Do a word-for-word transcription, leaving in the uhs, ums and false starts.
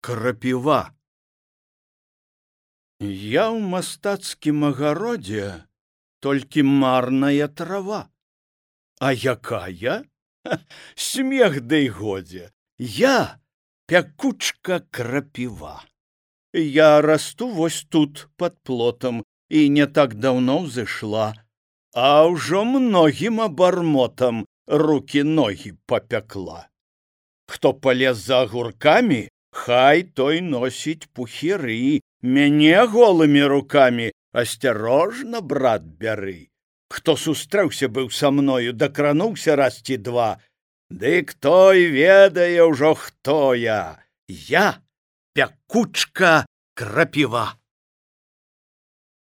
Крапіва. Я ў мастацкім агародзе толькі марная трава. А якая? Смех дай годзе. Я пякучка крапіва. Я расту вось тут пад плотам і не так даўно ўзышла, а ўжо многім абармотам рукі-ногі папякла. Хто палез за агуркамі, хай той носіць пухіры, мяне голымі рукамі асцярожна, брат, бяры. Хто сустрэўся быў са мною, дакрануўся раз ці два, дык той ведае ўжо, хто я. Я пякучка крапіва.